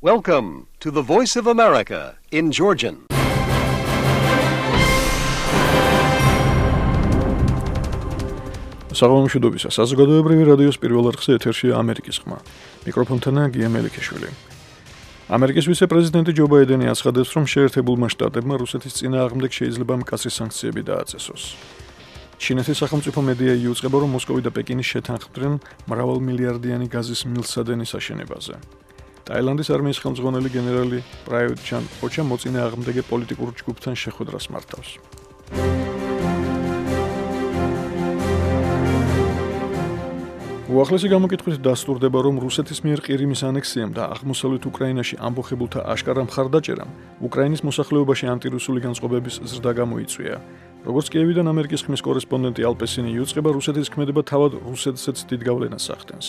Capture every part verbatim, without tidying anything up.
Welcome to the Voice of America in Georgian. საღამომშვიდობისა, საზოგადოებრივი რადიოს პირველ არხზე ეთერშია ამერიკის ხმა. მიკროფონთანაა გია მელიქიშვილი. ამერიკის ვიცე-პრეზიდენტი ჯო ბაიდენი აცხადებს, რომ შეერთებულმა შტატებმა რუსეთის წინააღმდეგ შეიძლება მკაცრი სანქციები დააწესოს. ჩინეთის სახელმწიფო მედია იუწყება, რომ მოსკოვი და პეკინი შეთანხმდნენ მრავალმილიარდიანი გაზის მილსადენის აშენებაზე. ტაილანდის არმიის ხელმძღვანელი გენერალი პრაიუტ ჩან ოჩა მოწინააღმდეგე პოლიტიკურ ჯგუფთან შეხვედრას მართავს. უახლესი გამოკითხვით დასტურდება, რომ რუსეთის მიერ ყირიმის ანექსიამ და აღმოსავლეთ უკრაინაში ამბოხებულთა აშკარა მხარდაჭერამ უკრაინის მოსახლეობაში ანტირუსული განწყობების ზრდა გამოიწვია. როგორც კიევიდან ამერიკის ხმის კორესპონდენტი ალპესინი იუწყება, რუსეთის ქმედება თავად რუსეთსაც დიდ გავლენას ახდენს.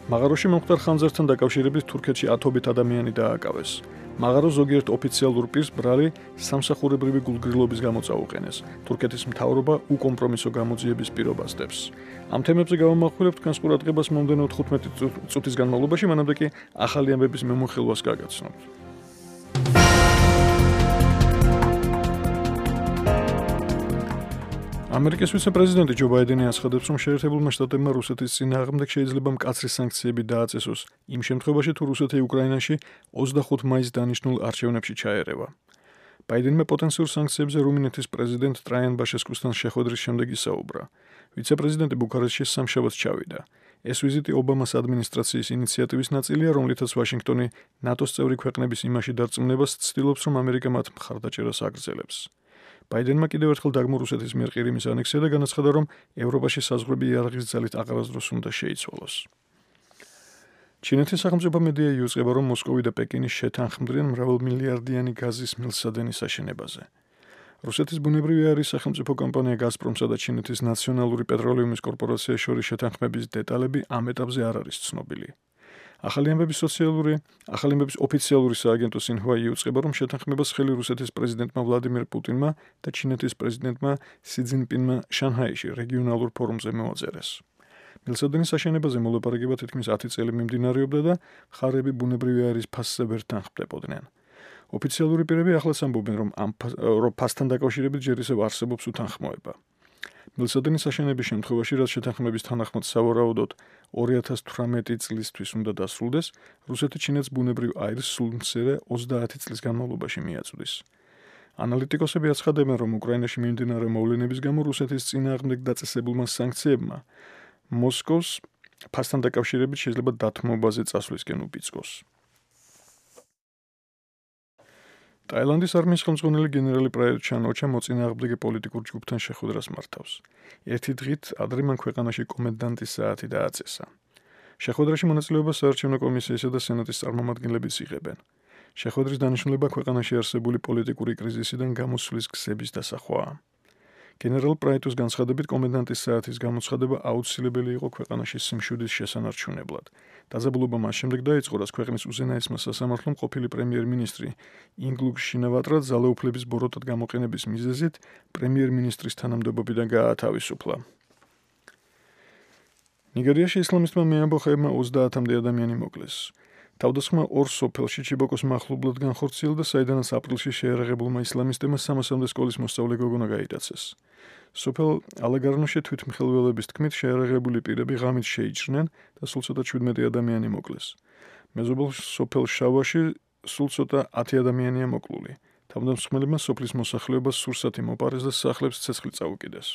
მაღაროში მომხდარ ხანძართან დაკავშირებით თურქეთში ათობით ადამიანი დააკავეს. მაღარო ზოგიერთ ოფიციალურ პირს ბრალი სამსახურებრივი გულგრილობის გამო წაუყენეს. თურქეთის მთავრობა უკომპრომისო გამოძიების პირობას დებს. ამ თემებზე გავამახვილებთ თქვენს ყურადღებას მომდევნო თხუთმეტი წუთის განმავლობაში, მანამდე კი ახალი ამბების მემუხილვას გაგაცნობთ. ამერიკის ვიცე-პრეზიდენტი ჯო ბაიდენი აცხადებს, რომ შეერთებულმა შტატებმა რუსეთის წინააღმდეგ შეიძლება მკაცრი სანქციები დააწესოს, იმ შემთხვევაში, თუ რუსეთი უკრაინაში ოცდახუთ მაისს დანიშნულ არჩევნებში ჩაერევა. ბაიდენმა პოტენციურ სანქციებზე რუმინეთის პრეზიდენტ ტრაიან ბაშესკუსთან შეხვედრის შემდეგ ისაუბრა. ვიცე-პრეზიდენტი ბუქარესტში სამშაბათს ჩავიდა. ეს ვიზიტი ობამას ადმინისტრაციის ინიციატივის ნაწილია, რომლითაც ვაშინგტონი ნატოს წევრი ქვეყნების იმაში დარწმუნებას ცდილობს, რომ ამერიკა მათ მხარდაჭერას აგრძელებს. ბაიდენმა კიდევ ერთხელ დაგმო რუსეთის მიერ ყირიმის ანექსია და განაცხადა, რომ ევროპაში საზღვრები იარაღის ძალით აღარასდროს უნდა შეიცვალოს. ჩინეთის სახელმწიფო მედია იუწყება, რომ მოსკოვი და პეკინი შეთანხმდნენ მრავალმილიარდიანი გაზის მილსადენის აშენებაზე. რუსეთის ბუნებრივი აირის სახელმწიფო კომპანია გაზპრომსა და ჩინეთის ნაციონალური პეტროლიუმის კორპორაციის შორის შეთანხმების დეტალები ამ ეტაპზე არ არის ცნობილი. ახალი ამბების სოციალური, ახალი ამბების ოფიციალური სააგენტო სინჰუა იუწყება, რომ შეთანხმებას ხელი რუსეთის პრეზიდენტმა ვლადიმირ პუტინმა და ჩინეთის პრეზიდენტმა სი ძინპინმა შანჰაიში რეგიონალურ ფორუმზე მოაწერეს. მილსადენის აშენებაზე მოლაპარაკება თითქმის ათი წელი მიმდინარეობდა და მხარეები ბუნებრივი აირის ფასზე ვერ თანხმდებოდნენ. ოფიციალური პირები ახლაც ამბობენ, რომ ამ ფასთან დაკავშირებით ჯერ ისევ არსებობს უთანხმოება. მილსადენის აშენების შემთხვევაში, რაც შეთანხმების თანახმად სავარაუდოდ ორი ათას თვრამეტი წლისთვის უნდა დასრულდეს, რუსეთი ჩინეთს ბუნებრივ აირს სულ მცირე ოცდაათი წლის განმავლობაში მიაწვდის. ანალიტიკოსები აცხადებენ, რომ უკრაინაში მიმდინარე მოვლენების გამო რუსეთის წინააღმდეგ დაწესებულმა სანქციებმა მოსკოვს ფასთან დაკავშირებით შეიძლება დათმობაზე წასვლისკენ უბიძგოს. ტაილანდის არმიის ხელმძღვანელი გენერალი პრაიუტ ჩან ოჩა მოწინააღმდეგე პოლიტიკურ ჯგუფთან შეხვედრას მართავს. ერთი დღით ადრე მან ქვეყანაში კომენდანტის საათი დააწესა. შეხვედრაში მონაწილეობას საარჩევნო კომისიისა და სენატის წარმომადგენლებიც იღებენ. შეხვედრის დანიშნულება ქვეყანაში არსებული პოლიტიკური კრიზისიდან გამოსვლის გზების დასახვაა. გენერალ პრაიტუს განცხადებით, კომენდანტის საათის გამოცხადება აუცილებელი იყო ქვეყანაში სიმშვიდის შესანარჩუნებლად. დაძაბულობა მას შემდეგ დაიწყო, რაც ქვეყნის უზენაესმა სასამართლომ ყოფილი პრემიერ-მინისტრი ინგლუგ შინავატრა ძალაუფლების ბოროტად გამოყენების მიზეზით პრემიერ-მინისტრის თანამდებობიდან გაათავისუფლა. ნიგერიაში ისლამისტმა მეამბოხეებმა ოცდაათამდე ადამიანი მოკლეს. თავდასხმა ორ სოფელში ჩიბოკოს მახლობლად განხორციელდა, საიდანაც აპრილში შეიარაღებულმა ისლამისტებმა სამასამდე სკოლის მოსწავლე გოგონა გაიტაცეს. სოფელ ალაგარნოში თვითმხელველების თქმით შეიარაღებული პირები ღამით შეიჭრნენ და სულ ცოტა შვიდმეტი ადამიანი მოკლეს. მეზობელ სოფელ შავაში სულ ცოტა ათი ადამიანია მოკლული. თავდამსხმელებმა სოფლის მოსახლეობას სურსათი მოპარეს და სახლებს ცეცხლი წაუკიდეს.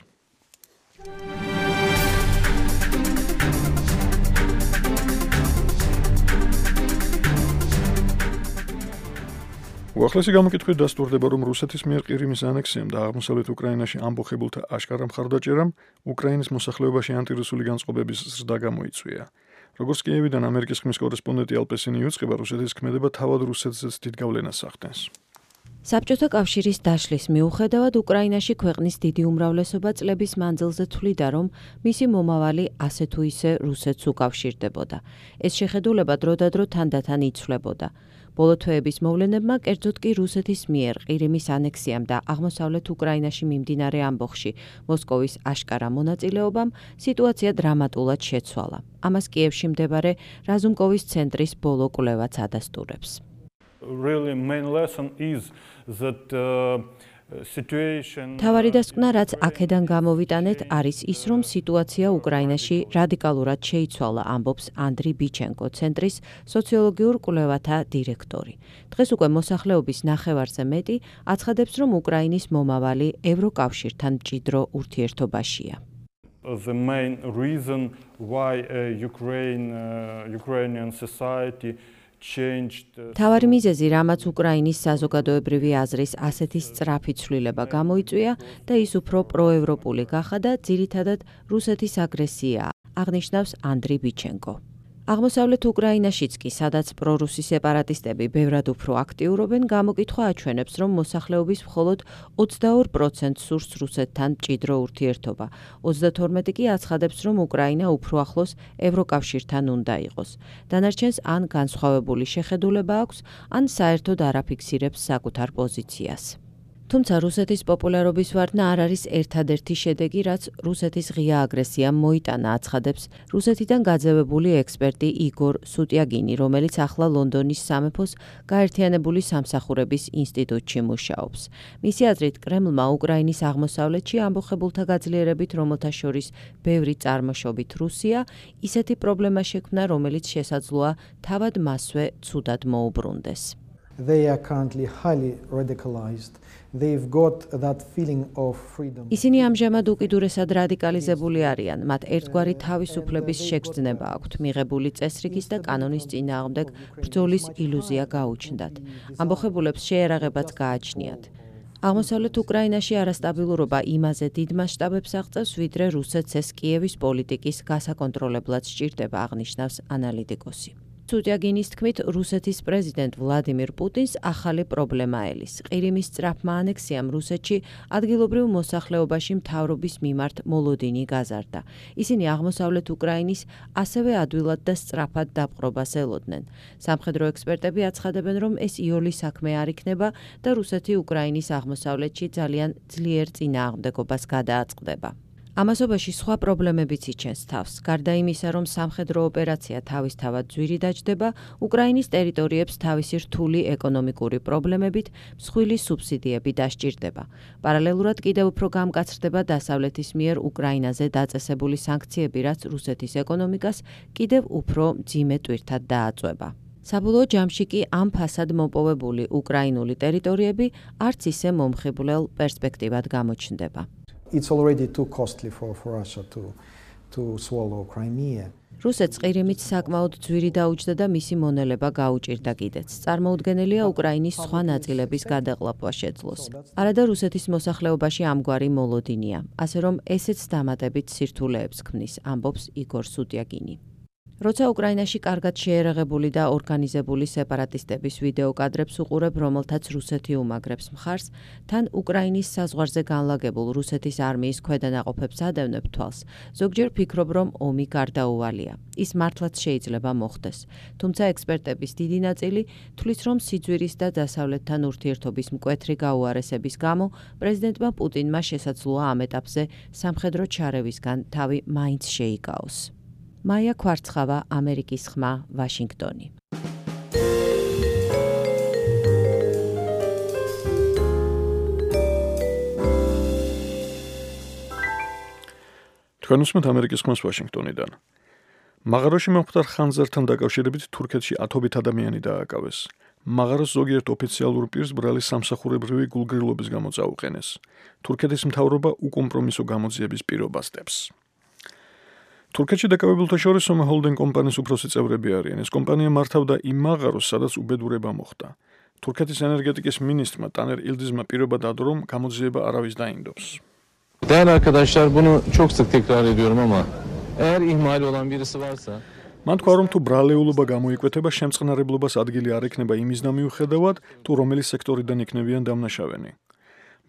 უახლესი გამოკითხვით დასტურდება, რომ რუსეთის მიერ ყირიმის ანექსიამ და აღმოსავლეთ უკრაინაში ამბოხებულთა აშკარა მხარდაჭერამ უკრაინის მოსახლეობაში ანტირუსული განწყობების ზრდა გამოიწვია. როგორც კიევიდან ამერიკის ხმის კორესპონდენტი ალპესინი იუწყება, რუსეთის ქმედება თავად რუსეთსაც დიდ გავლენას ახდენს. საბჭოთა კავშირის დაშლის მიუხედავად უკრაინაში ქვეყნის დიდი უმრავლესობა წლების მანძილზე თვლიდა, რომ მისი მომავალი ასე თუ ისე რუსეთს უკავშირდებოდა. ეს შეხედულება დროდადრო თანდათან იცვლებოდა. ბოლო თვეების მოვლენებმა, კერძოდ კი რუსეთის მიერ ყირიმის ანექსიამ და აღმოსავლეთ უკრაინაში მიმდინარე ამბოხში მოსკოვის აშკარა მონაწილეობამ სიტუაცია დრამატულად შეცვალა. ამას კიევში მდებარე რაზუმკოვის ცენტრის ბოლო კვლევაც ადასტურებს. Really main lesson is that uh, situation თავარი დასკვნა, რაც აქედან გამოვიტანეთ, არის ის, რომ სიტუაცია უკრაინაში რადიკალურად შეიცვალა, ამბობს ანდრი ბიჩენკო, ცენტრის სოციოლოგიურ კვლევათა დირექტორი. დღეს უკვე მოსახლეობის ნახევარზე მეტი აცხადებს, რომ უკრაინის მომავალი ევროკავშირთან მჭიდრო ურთიერთობაშია. The main reason why uh, Ukraine, uh, Ukrainian society თავარი მიზეზი, რამაც უკრაინის საზოგადოებრივი აზრის ასეთი სწრაფი ცვლილება გამოიწვია და ის უფრო პროევროპული გახადა, ძირითადად რუსეთის აგრესიაა, აღნიშნავს ანდრი ბიჩენკო. აღმოსავლეთ უკრაინაშიც კი, სადაც პრორუსი სეპარატისტები ბევრად უფრო აქტიურობენ, გამოკითხვა აჩვენებს, რომ მოსახლეობის მხოლოდ ოცდაორ პროცენტს სურს რუსეთთან მჭიდრო ურთიერთობა. ოცდათორმეტი კი აცხადებს, რომ უკრაინა უფრო ახლოს ევროკავშირთან უნდა იყოს. დანარჩენს ან განსხვავებული შეხედულება აქვს, ან საერთოდ არ აფიქსირებს საკუთარ პოზიციას. თუმცა რუსეთის პოპულარობის ვარდნა არ არის ერთადერთი შედეგი, რაც რუსეთის ღია აგრესიამ მოიტანა, აცხადებს რუსეთიდან გაძევებული ექსპერტი იგორ სუტიაგინი, რომელიც ახლა ლონდონის სამეფოს გაერთიანებული სამსახურების ინსტიტუტში მუშაობს. მისი აზრით, კრემლმა უკრაინის აღმოსავლეთში ამბოხებულთა გაძლიერებით, რომელთა შორის ბევრი წარმოშობით რუსია, ისეთი პრობლემა შექმნა, რომელიც შესაძლოა თავად მასვე ცუდად მოუბრუნდეს. They are currently highly radicalized. They've got that feeling of freedom. ისინი ამჟამად უკიდურესად რადიკალიზებული არიან. მათ ერთგვარი თავისუფლების შეგრძნება აქვთ, მიღებული წესრიგის და კანონის წინააღმდეგ ბრძოლის ილუზია გაუჩნდათ. ამბოხებულებს შეერაღებაც გააჩნიათ. აღმოსავლეთ უკრაინაში არასტაბილურობა იმაზე დიდ მასშტაბებს აღწევს, ვიდრე რუსეთს ეს კიევის პოლიტიკის გასაკონტროლებლად სჭირდება, აღნიშნავს ანალიტიკოსი. სუტიაგინის თქმით, რუსეთის პრეზიდენტ ვლადიმირ პუტინს ახალი პრობლემა ელის. ყირიმის სწრაფმა ანექსიამ რუსეთში ადგილობრივ მოსახლეობაში მთავრობის მიმართ მოლოდინი გაზარდა. ისინი აღმოსავლეთ უკრაინის ასევე ადვილად და სწრაფად დაპყრობას ელოდნენ. სამხედრო ექსპერტები აცხადებენ, რომ ეს იოლი საქმე არ იქნება და რუსეთი უკრაინის აღმოსავლეთში ძალიან ძლიერ წინააღმდეგობას გადააწყდება. ამასობაში სხვა პრობლემებიც იჩენს თავს. გარდა იმისა, რომ სამხედრო ოპერაცია თავისთავად ძვირი დაჯდება, უკრაინის ტერიტორიებს თავისი რთული ეკონომიკური პრობლემებით მსხვილი სუბსიდიები დასჭირდება. პარალელურად კიდევ უფრო გამკაცრდება დასავლეთის მიერ უკრაინაზე დაწესებული სანქციები, რაც რუსეთის ეკონომიკას კიდევ უფრო მძიმე ტვირთად დააწვება. საბოლოო ჯამში კი ამ ფასად მოპოვებული უკრაინული ტერიტორიები არც ისე მომხიბვლელ პერსპექტივად გამოჩნდება. It's already too costly for, for Russia to, to swallow Crimea. რუსეთს ყირიმით საკმაოდ ძვირი დაუჯდა და მისი მონელება გაუჭირდა კიდეც. წარმოუდგენელია უკრაინის სხვა ნაწილების გადაყლაპვა შეძლოს. არადა რუსეთის მოსახლეობაში ამგვარი მოლოდინია, ასე რომ ესეც დამატებით სირთულეებს ქმნის, ამბობს იგორ სუტიაგინი. როცა უკრაინაში კარგად შეერაღებული და ორგანიზებული სეპარატისტების ვიდეო კადრებს უყურებ, რომელთაც რუსეთი უმაგრებს მხარს, თან უკრაინის საზღვარზე განლაგებულ რუსეთის არმიის ქვედანაყოფებს ადევნებ თვალს, ზოგჯერ ფიქრობ, რომ ომი გარდაუვალია. ის მართლაც შეიძლება მოხდეს. თუმცა ექსპერტების დიდი ნაწილი თვლის, რომ სიძვირის და დასავლეთთან ურთიერთობის მკვეთრი გაუარესების გამო პრეზიდენტმა პუტინმა შესაძლოა ამ ეტაპზე სამხედრო ჩარევისგან თავი მაინც შეიკაოს. მაია ქვარცხავა, ამერიკის ხმა, ვაშინგტონი. თქვენ უსმენთ ამერიკის ხმას ვაშინგტონიდან. მაღაროში მომხდარ ხანძართან დაკავშირებით თურქეთში ათობით ადამიანი დააკავეს. მაღაროს ზოგიერთ ოფიციალურ პირს ბრალი სამსახურებრივი გულგრილობის გამო წაუყენეს. თურქეთის მთავრობა უკომპრომისო გამოძიების პირობას დებს. თურქეთში დაკავებულთა შორის სომა ჰოლდინგ კომპანიის უფროსი წევრები არიან. ეს კომპანია მართავდა იმ მაღაროს, სადაც უბედურება მოხდა. თურქეთის ენერgetikas ministrმა Taner Yıldız'ma პირობა დადო, რომ გამოძიება არავის დაინდობს. Değerli arkadaşlar, bunu çok sık tekrar ediyorum ama eğer ihmal olan birisi varsa მან თქვა, რომ თუ ბრალეულობა გამოიკვეთება, შემწყნარებლობას ადგილი არ ექნება იმის მიუხედავად, თუ რომელი სექტორიდან იქნებიან დამნაშავენი.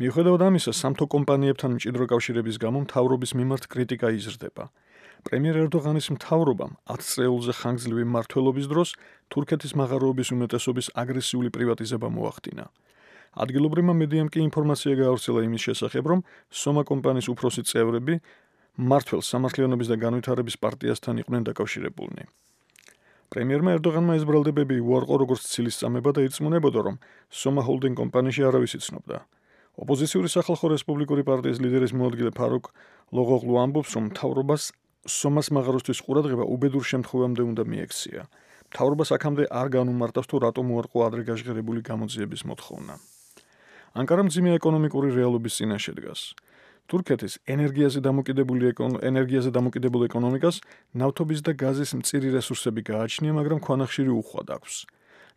მიუხედავად ამისა, სამთო კომპანიებთან მჭიდრო კავშირების გამო მთავრობის მიმართ კრიტიკა იზრდება. პრემიერ ერდოღანის მთავრობამ ათ წელზე ხანგრძლივი მმართველობის დროს თურქეთის მაღაროების უმეტესობის აგრესიული პრივატიზება მოახდინა. ადგილობრივმა მედიამ კი ინფორმაცია გაავრცელა იმის შესახებ, რომ სომა კომპანიის უფროსი წევრები მმართველ სამართლიანობის და განვითარების პარტიასთან იყვნენ დაკავშირებულნი. პრემიერმა ერდოღანმა ეს ბრალდებები უარყო როგორც ცილისწამება და ირწმუნებოდა, რომ სომა ჰოლდინგ კომპანიაში არავის იცნობდა. ოპოზიციური სახალხო რესპუბლიკური პარტიის ლიდერის მოადგილე ფარუკ ლოღოღლუ ამბობს, რომ მთავრობას სომას მაღაროსთვის ყურადღება უბედურ შემთხვევამდე უნდა მიექცია. მთავრობას აქამდე არ განუმარტავს, თუ რატომ უარყო ადრე გაჟღერებული გამოძიების მოთხოვნა. ანკარა მძიმე ეკონომიკური რეალობის წინაშე დგას. თურქეთის ენერგიაზე დამოკიდებული ენერგიაზე დამოკიდებულ ეკონომიკას ნავთობის და გაზის მწირი რესურსები გააჩნია, მაგრამ ქვანახშირი უხვად აქვს.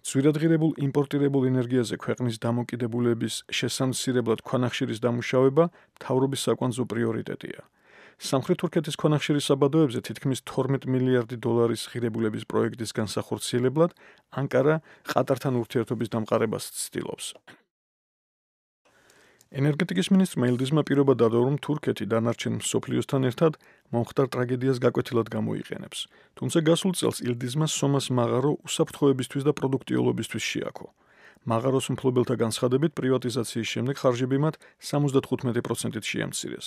ძვირადღირებულ იმპორტირებულ ენერგიაზე ქვეყნის დამოკიდებულების შესამცირებლად ქვანახშირის დამუშავება მთავრობის საკვანძო პრიორიტეტია. სამხრეთ თურქეთის ქვანახშირის საბადოებზე თითქმის თორმეტ მილიარდი დოლარის ღირებულების პროექტის განსახორციელებლად ანკარა ყატართან ურთიერთობის დამყარებას ცდილობს. ენერგეტიკის მინისტრმა ილდიზმა პირობა დადო, რომ თურქეთი დანარჩენ მსოფლიოსთან ერთად მომხდარ ტრაგედიას გაკვეთილად გამოიყენებს. თუმცა გასულ წელს ილდიზმა სომას მაღარო უსაფრთხოებისთვის და პროდუქტიულობისთვის შეაქო. მაღაროს მფლობელთა განცხადებით პრივატიზაციის შემდეგ ხარჯები მათ სამოცდათხუთმეტი პროცენტით შეამცირეს.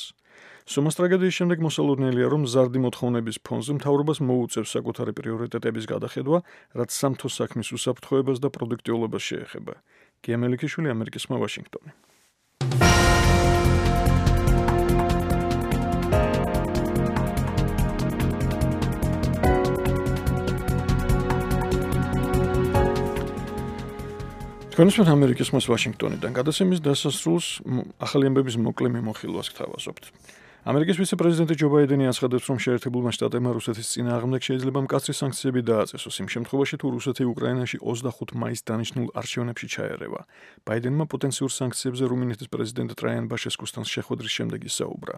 სომას ტრაგედიის შემდეგ მოსალოდნელია, რომ ზარდი მოთხოვნების ფონზე მთავრობას მოუწევს საკუთარი პრიორიტეტების გადახედვა, რაც სამთო საქმის უსაფრთხოებას და პროდუქტიულობას შეეხება. გია მელიქიშვილი, ამერიკის ხმა, ვაშინგტონი. თქვენს ამერიკის ხმას ვაშინგტონიდან გადაცემის დასასრულს ახალი ამბების მოკლე მიმოხილვას გთავაზობთ. ამერიკის ვიცე-პრეზიდენტი ჯო ბაიდენი აცხადებს, რომ შეერთებულმა შტატებმა რუსეთის წინააღმდეგ შეიძლება მკაცრი სანქციები დააწესოს იმ შემთხვევაში, თუ რუსეთი უკრაინაში ოცდახუთ მაისს დანიშნულ არჩევნებში ჩაერევა. ბაიდენმა პოტენციურ სანქციებზე რუმინეთის პრეზიდენტ ტრაიან ბაშესკუსთან შეხვედრის შემდეგ ისაუბრა.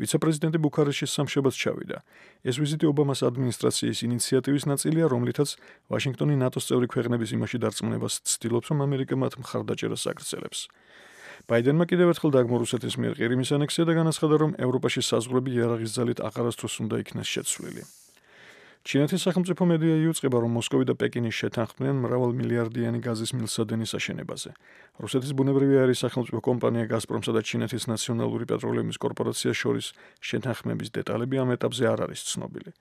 ვიცე-პრეზიდენტი ბუქარესტში სამშაბათს ჩავიდა. ეს ვიზიტი ობამას ადმინისტრაციის ინიციატივის ნაწილია, რომლითაც ვაშინგტონი ნატოს წევრი ქვეყნების იმაში დარწმუნებას ცდილობს, რომ ამერიკა მათ მხარდაჭერას აგრძელებს. ბაიდენმა კიდევ ერთხელ დაგმო რუსეთის მიერ ყირიმის ანექსია და განაცხადა, რომ ევროპაში საზღვრები იარაღის ძალით აღარასდროს უნდა იქნეს შეცვლილი. ჩინეთის სახელმწიფო მედია იუწყება, რომ მოსკოვი და პეკინი შეთანხმდნენ მრავალმილიარდიანი გაზის მილსადენის აშენებაზე. რუსეთის ბუნებრივი აირის სახელმწიფო კომპანია გაზპრომსა და ჩინეთის ნაციონალური პეტროლეუმის კორპორაციას შორის შეთანხმების დეტალები ამ ეტაპზე არ არის ცნობილი.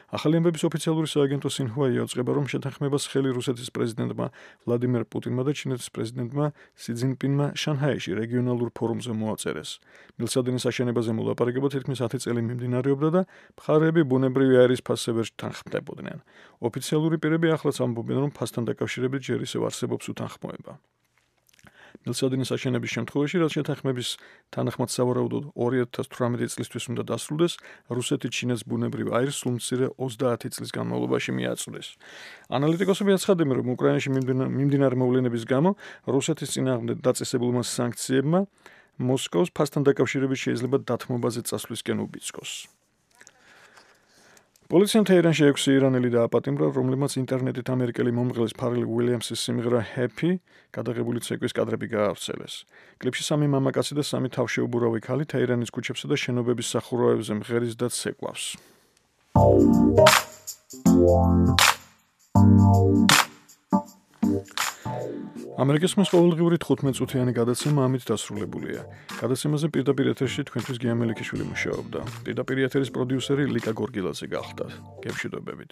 ახალი ამბების ოფიციალური სააგენტო სინჰუა იუწყება, რომ შეთანხმებას ხელი რუსეთის პრეზიდენტმა ვლადიმერ პუტინმა და ჩინეთის პრეზიდენტმა სი ძინპინმა შანჰაიში რეგიონალურ ფორუმზე მოაწერეს. მილსადენის აშენებაზე მოლაპარაკება თითქმის ათი წელი მიმდინარეობდა და მხარეები ბუნებრივი აირის ფასზე ვერ თანხმდებოდნენ. ოფიციალური პირები ახლაც ამბობენ, რომ ფასთან დაკავშირებით ჯერ ისევ არსებობს უთანხმოება. მილსადენის აშენების შემთხვევაში, რაც შეთანხმების თანახმად სავარაუდოდ ორი ათას თვრამეტი წლისთვის უნდა დასრულდეს, რუსეთი ჩინეთს ბუნებრივ აირს სულ მცირე ოცდაათი წლის განმავლობაში მიაწვდეს. ანალიტიკოსები აცხადებენ, რომ უკრაინაში მიმდინარე მოვლენების გამო რუსეთის წინააღმდეგ დაწესებულმა სანქციებმა მოსკოვს ფასთან დაკავშირებით შეიძლება დათმობაზე წასვლისკენ უბიძგოს. პოლიციამ თეირანში ექვსი ირანელი დააპატიმრა, რომლებმაც ინტერნეტით ამერიკელი მომღერლის ფარელ უილიამსის სიმღერა Happy გადაღებული ცეკვის კადრები გაავრცელეს. კლიპში სამი მამაკაცი და სამი თავშეუბურავი ქალი თეირანის ქუჩებსა და შენობების სახურავებზე მღერის და ცეკვავს. ამერიკის ხმის ყოველდღიური თხუთმეტ წუთიანი გადაცემა ამით დასრულებულია. გადაცემაზე პირდაპირ ეთერში თქვენთვის გია მელიქიშვილი მუშაობდა. პირდაპირ ეთერის პროდიუსერი ლიკა გორგილაძე გახლდათ. გემშვიდობებით.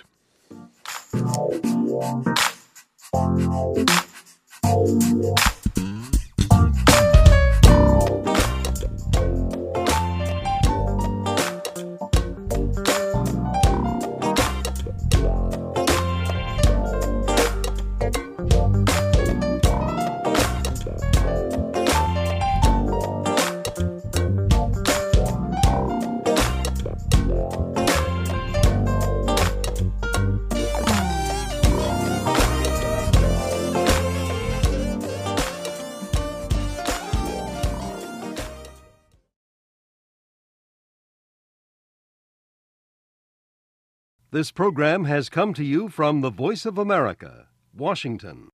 This program has come to you from the Voice of America, Washington.